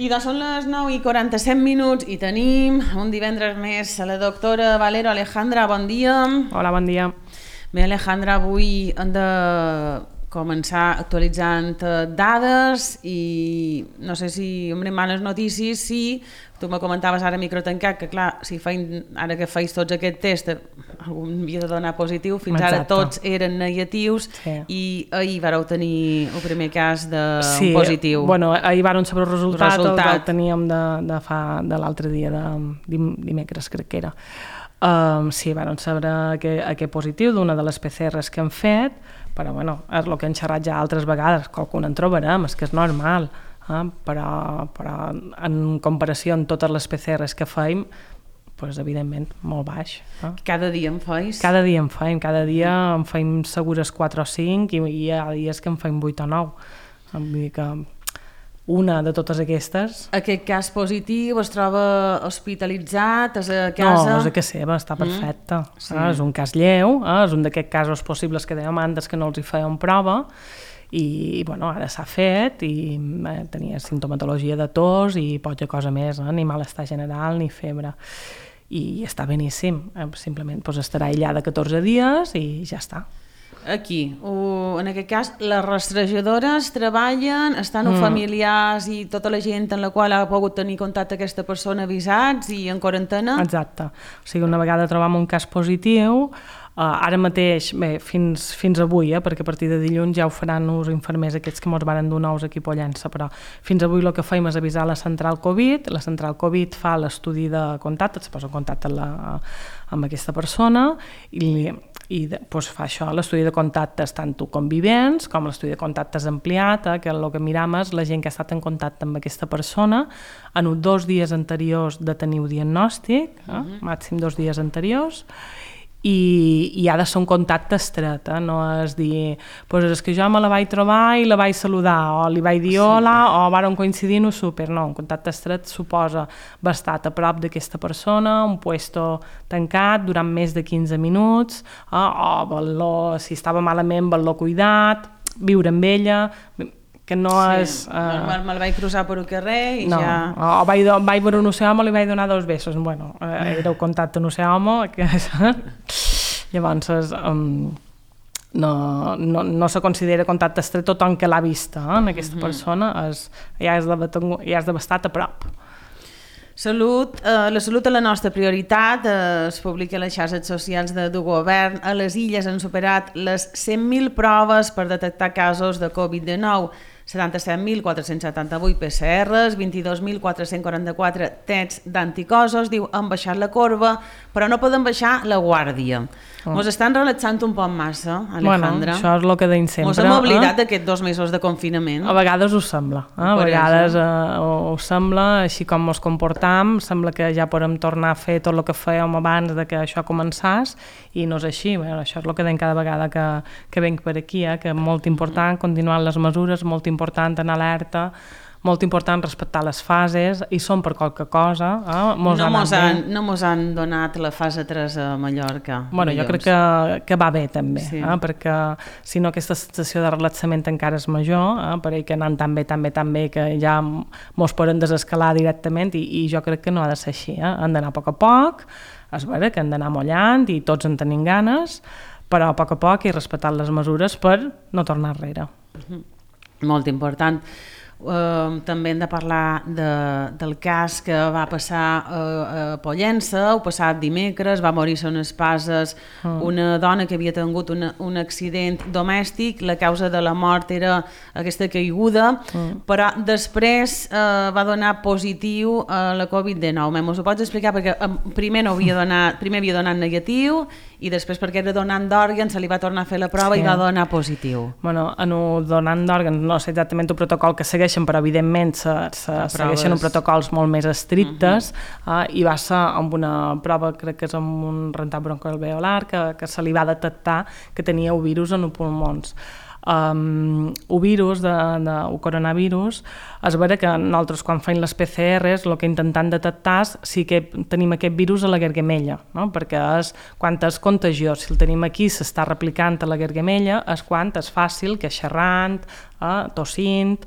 I doncs són les 9:47 i tenim un divendres més a la doctora Valero. Alejandra, bon dia. Hola, bon dia. Bé, Alejandra, avui hem de començar actualitzant dades i no sé si obrim males notícies, si tu me comentaves ara a micro tancat que clar, si ara que feis tots aquest test algú havia de donar positiu, fins ara tots eren negatius i ahir vareu tenir el primer cas de positiu. Sí, bueno, ahir varen saber el resultat. El teníem de l'altre dia, dimecres crec que era. Sí, varen saber aquest positiu d'una de les PCRs que hem fet, però bueno, és el que hem xerrat ja altres vegades, qualcun en trobarem, és que és normal, però en comparació amb totes les PCRs que feim, doncs evidentment molt baix. Cada dia en feis? Cada dia en feim segures 4 o 5 i hi ha dies que en feim 8 o 9. Vull dir que una de totes aquestes... Aquest cas positiu es troba hospitalitzat? És a casa? No, és a casa seva, està perfecte. És un cas lleu, és un d'aquests casos possibles que dèiem antes que no els hi feien prova i bueno, ara s'ha fet i tenia sintomatologia de tos i poca cosa més, ni malestar general ni febre i està beníssim, simplement estarà aïllada 14 dies i ja està. Aquí, en aquest cas, les rastrejadores treballen, estan familiars i tota la gent en la qual ha pogut tenir contacte aquesta persona avisats i en quarantena? Exacte, o sigui, una vegada trobam un cas positiu, ara mateix, bé, fins avui, perquè a partir de dilluns ja ho faran els infermers aquests que ens van donar els equip Pollença, però fins avui el que fem és avisar la central Covid, la central Covid fa l'estudi de contacte, es posa en contacte amb aquesta persona i fa això, l'estudi de contactes tant convivents com l'estudi de contactes ampliat, que el que miram és la gent que ha estat en contacte amb aquesta persona en 2 dies anteriors de tenir un diagnòstic, màxim 2 dies anteriors, i ha de ser un contacte estret, no és dir, és que jo me la vaig trobar i la vaig saludar, o li vaig dir hola, o vàrem coincidir no súper, no, un contacte estret suposa haver estat a prop d'aquesta persona, un puesto tancat durant més de 15 minuts, o si estava malament, haver-lo cuidat, viure amb ella, que no és... Me'l vaig cruzar per un carrer i ja... O vaig veure un océà i li vaig donar 2 besos. Bueno, era un contacte en océà, llavors no se considera contacte estret tothom que l'ha vista en aquesta persona, ja has d'haver estat a prop. La salut és la nostra prioritat, es publica a les xarxes socials del govern. A les Illes han superat les 100.000 proves per detectar casos de Covid-19, 77.478 PCRs, 22.444 tests d'anticossos, diu, han baixat la corba, però no poden baixar la guàrdia. Ens estan relaxant un poc massa, Alejandra. Bueno, això és el que deim sempre. Ens hem oblidat d'aquests 2 mesos de confinament. A vegades ho sembla, a vegades ho sembla, així com ens comportam, sembla que ja podem tornar a fer tot el que fèiem abans de que això començés, i no és així. Això és el que deim cada vegada que venc per aquí, que és molt important continuar les mesures, molt important anar alerta, molt important respectar les fases, i són per qualque cosa. No mos han donat la fase 3 a Mallorca. Bueno, jo crec que va bé també, perquè si no aquesta sensació de relaxament encara és major, perquè que anant tan bé que ja mos poden desescalar directament, i jo crec que no ha de ser així. Han d'anar a poc, és vera que han d'anar mollant i tots en tenim ganes, però a poc i respectar les mesures per no tornar enrere. Molt important. També hem de parlar del cas que va passar a Pollença el passat dimecres. Va morir a unes Pases una dona que havia tingut un accident domèstic. La causa de la mort era aquesta caiguda, però després va donar positiu a la Covid-19. M'ho pots explicar? Perquè primer havia donat negatiu i després perquè era donant d'òrgans se li va tornar a fer la prova i va donar positiu. Bueno, en el donant d'òrgans no sé exactament el protocol que segueixen, però evidentment segueixen uns protocols molt més estrictes, i va ser amb una prova, crec que és amb un rentat broncoalveolar, que se li va detectar que tenia un virus en els pulmons. El virus, el coronavirus, és vera que nosaltres quan fem les PCRs el que intentem detectar és si tenim aquest virus a la gargamella, no? Perquè és quan és contagiós, si el tenim aquí s'està replicant a la gargamella, és quan és fàcil que xerrant, tossint,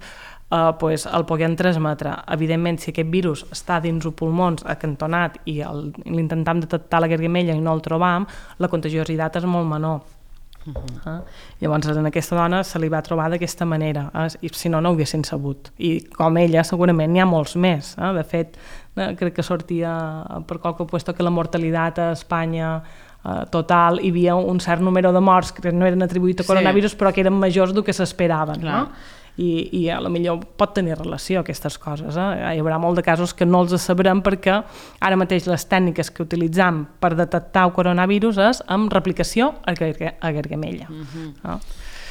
pues el puguem transmetre. Evidentment, si aquest virus està dins els pulmons acantonat i l'intentam detectar la gargamella i no el trobam, la contagiositat és molt menor. Llavors en aquesta dona se li va trobar d'aquesta manera, i si no, no ho haguessin sabut, i com ella segurament n'hi ha molts més. De fet, crec que sortia per qualque puesto que la mortalitat a Espanya total, hi havia un cert número de morts que no eren atribuïts a coronavirus, però que eren majors del que s'esperaven, no? I a lo millor pot tenir relació aquestes coses. Hi haurà molt de casos que no els sabrem perquè ara mateix les tècniques que utilitzam per detectar el coronavirus és amb replicació a gargamella.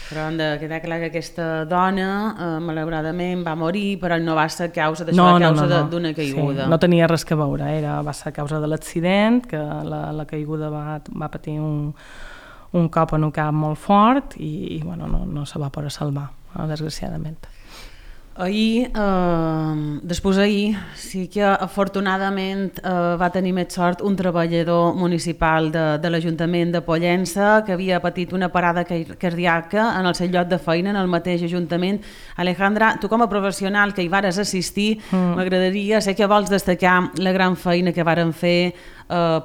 Però hem de quedar clar que aquesta dona malauradament va morir, però no va ser causa d'això, a causa d'una caiguda. No tenia res a veure, va ser a causa de l'accident, que la caiguda va patir un cop en un cap molt fort i no se va poder salvar, desgraciadament. Després sí que afortunadament va tenir més sort un treballador municipal de l'Ajuntament de Pollença que havia patit una parada cardíaca en el seu lloc de feina en el mateix Ajuntament. Alejandra, tu com a professional que hi vares assistir, m'agradaria, sé que vols destacar la gran feina que varen fer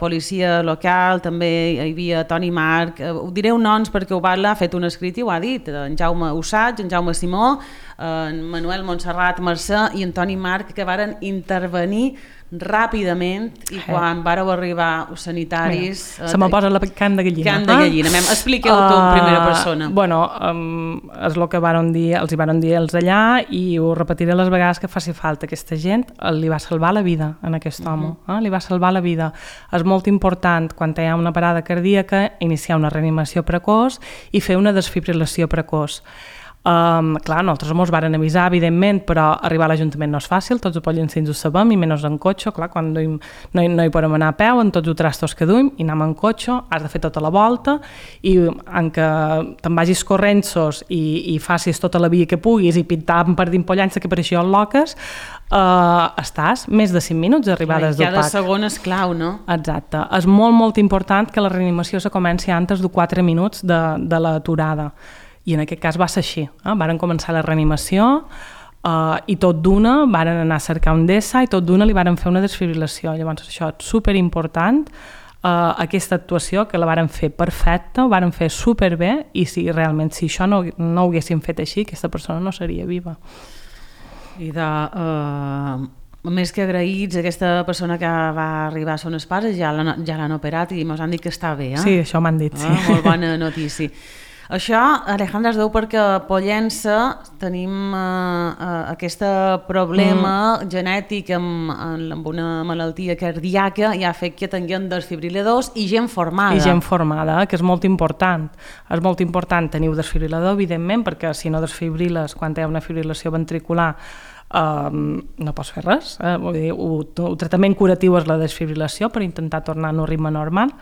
policia local, també hi havia Toni Marc, ho direu noms perquè ho ha fet un escrit i ho ha dit, en Jaume Usatge, en Jaume Simó, en Manuel Montserrat Mercè i en Toni Marc, que varen intervenir ràpidament i quan vareu arribar els sanitaris... Se me posa la carn de gallina. Carn de gallina, expliqueu-ho tu en primera persona. És el que els hi varen dir els allà i ho repetiré les vegades que faci falta. Aquesta gent li va salvar la vida en aquest home, li va salvar la vida. És molt important, quan hi ha una parada cardíaca, iniciar una reanimació precoç i fer una desfibrilació precoç. Clar, nosaltres ens varen avisar, evidentment, però arribar a l'Ajuntament no és fàcil, tots els pollencins ho sabem, i menys en cotxe, clar, quan no hi podem anar a peu, en tots els trastos que duim, i anem en cotxe, has de fer tota la volta, i en què te'n vagis correntsos i facis tota la via que puguis i pintar per dins Pollença que pareixia loques, estàs més de 5 minuts d'arribades del PAC. Cada segon és clau, no? Exacte. És molt, molt important que la reanimació se comenci antes de 4 minuts de l'aturada. I en aquest cas va ser així. Varen començar la reanimació i tot d'una varen anar a cercar un DESA i tot d'una li varen fer una desfibrilació. Llavors això és superimportant, aquesta actuació que la varen fer perfecta, ho varen fer superbé i si realment si això no ho haguéssim fet així, aquesta persona no seria viva. I més que agraïts, aquesta persona que va arribar a Son Espasa ja l'han operat i ens han dit que està bé. Sí, això m'han dit, sí. Molt bona notícia. Això, Alejandra, es deu perquè a Pollença tenim aquest problema genètic amb una malaltia cardíaca i ha fet que tinguem desfibriladors i gent formada. I gent formada, que és molt important. És molt important tenir un desfibrilador, evidentment, perquè si no desfibriles quan hi ha una fibrilació ventricular no pots fer res. Vull dir, el tractament curatiu és la desfibrilació per intentar tornar a un ritme normal.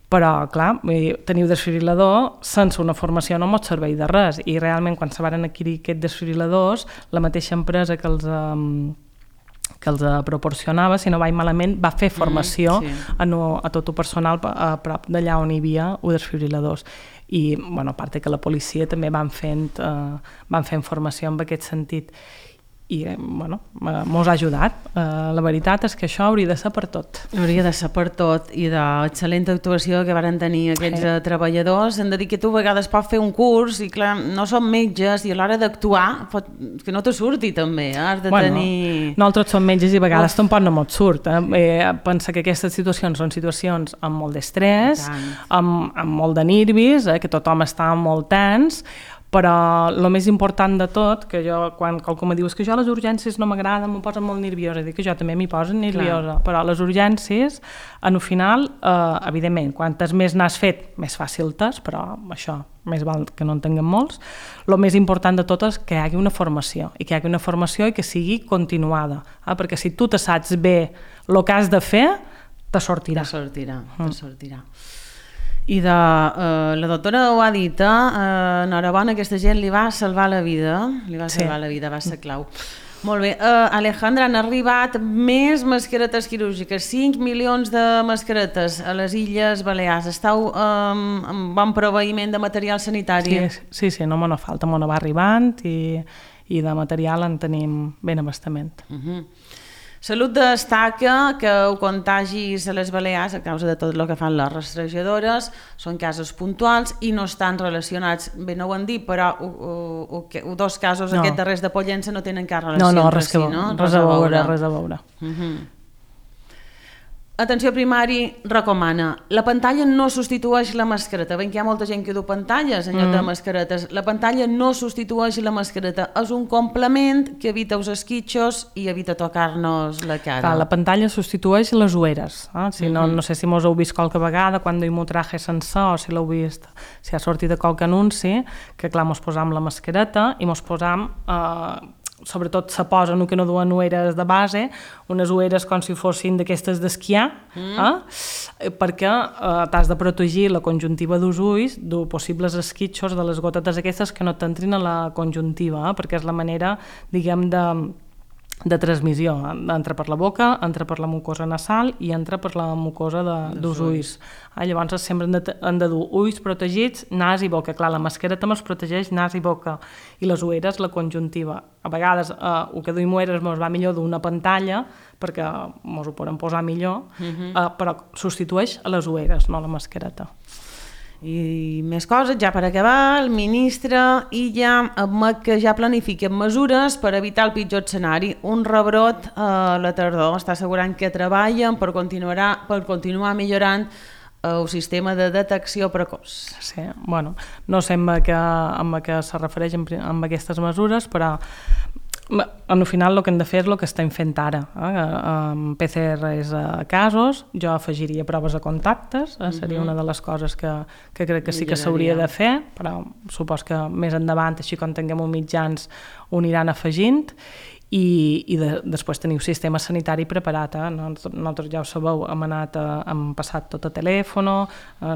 Però, clar, tenir un desfibrilador sense una formació no mos serveix de res i realment quan se varen adquirir aquests desfibriladors, la mateixa empresa que els proporcionava, si no vaig malament, va fer formació a tot el personal a prop d'allà on hi havia desfibriladors. I, a part que la policia també van fent formació en aquest sentit. I, mos ha ajudat. La veritat és que això hauria de ser per tot. Hauria de ser per tot i d'excel·lent actuació que varen tenir aquests treballadors. Hem de dir que tu a vegades pots fer un curs i clar, no som metges i a l'hora d'actuar que no te surti també, has de tenir... Nosaltres som metges i a vegades tampoc no mos surt. Pensa que aquestes situacions són situacions amb molt d'estrès, amb molt de nervis, que tothom està molt tens, però el més important de tot, que jo, quan qualcú me diu que jo a les urgències no m'agrada, m'ho posa molt nerviosa, dic que jo també m'hi poso nerviosa, però a les urgències, en el final, evidentment, quantes més n'has fet, més fàcil t'és, però això, més val que no en tinguem molts. El més important de tot és que hi hagi una formació, i que hi hagi una formació i que sigui continuada, perquè si tu te saps bé el que has de fer, te sortirà. Te sortirà. I la doctora ho ha dit, enhorabona, aquesta gent li va salvar la vida, va ser clau. Molt bé, Alejandra, han arribat més mascaretes quirúrgiques, 5 milions de mascaretes a les Illes Balears. Esteu amb bon proveïment de material sanitari? Sí, no me falta, me va arribant i i de material en tenim ben abastament. Salut destaca que els contagis a les Balears, a causa de tot el que fan les rastrejadores, són casos puntuals i no estan relacionats, bé, no ho han dit, però dos casos, aquests darrers de Pollença, no tenen cap relació entre si, no? Res a veure. Atenció Primari recomana, la pantalla no substitueix la mascareta. Veiem que hi ha molta gent que du pantalles en lloc de mascaretes. La pantalla no substitueix la mascareta, és un complement que evita els esquitxos i evita tocar-nos la cara. Clar, la pantalla substitueix les ulleres. Si no, no sé si mos heu vist qualque vegada quan duim un traje sencer o si l'heu vist, si ha sortit de qualque anunci, que clar, mos posam la mascareta i mos posam... sobretot se posen que no duen ulleres de base, unes ulleres com si fossin d'aquestes d'esquiar, perquè t'has de protegir la conjuntiva dels ulls de possibles esquitxos de les gotetes aquestes que no t'entrin a la conjuntiva, perquè és la manera, diguem, de transmissió. Entra per la boca, entra per la mucosa nasal i entra per la mucosa dels ulls. Llavors sempre han de dur ulls protegits, nas i boca. Clar, la mascareta ens protegeix nas i boca i les ulleres la conjuntiva. A vegades el que duim ulleres ens va millor d'una pantalla perquè ens ho podem posar millor, però substitueix a les ulleres, no a la mascareta. I més coses, ja per acabar, el ministre Illa admet que ja planifiquen mesures per evitar el pitjor escenari. Un rebrot a la tardor. Està assegurant que treballen per continuar millorant el sistema de detecció precoç. Sí, bueno, no sé amb què se refereix amb aquestes mesures, però al final el que hem de fer és el que estem fent ara. Amb PCRs a casos, jo afegiria proves a contactes, seria una de les coses que crec que sí que s'hauria de fer, però supos que més endavant, així com tinguem uns mitjans, ho aniran afegint, i després teniu sistema sanitari preparat. Nosaltres ja ho sabeu, hem passat tot a telèfon,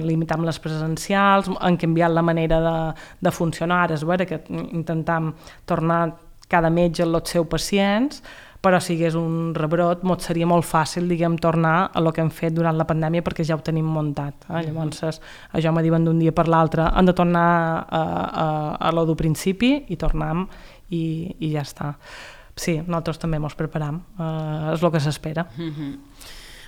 limitam les presencials, hem canviat la manera de funcionar, és vera que intentam tornar cada metge als seus pacients, però si hi hagués un rebrot, seria molt fàcil, diguem, tornar a el que hem fet durant la pandèmia perquè ja ho tenim muntat. Llavors, això me diuen d'un dia per l'altre, hem de tornar a lo del principi i tornem i ja està. Sí, nosaltres també ens preparam, és el que s'espera.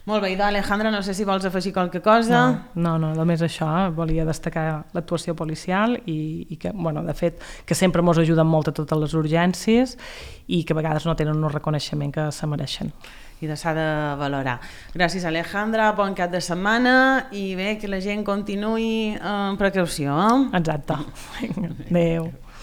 Molt bé, Alejandra, no sé si vols afegir qualque cosa. No, només això, volia destacar l'actuació policial i que, bueno, de fet, que sempre ens ajuden molt a totes les urgències i que a vegades no tenen un reconeixement que se mereixen. I s'ha de valorar. Gràcies, Alejandra, bon cap de setmana i bé, que la gent continuï amb precaució. Exacte. Adéu.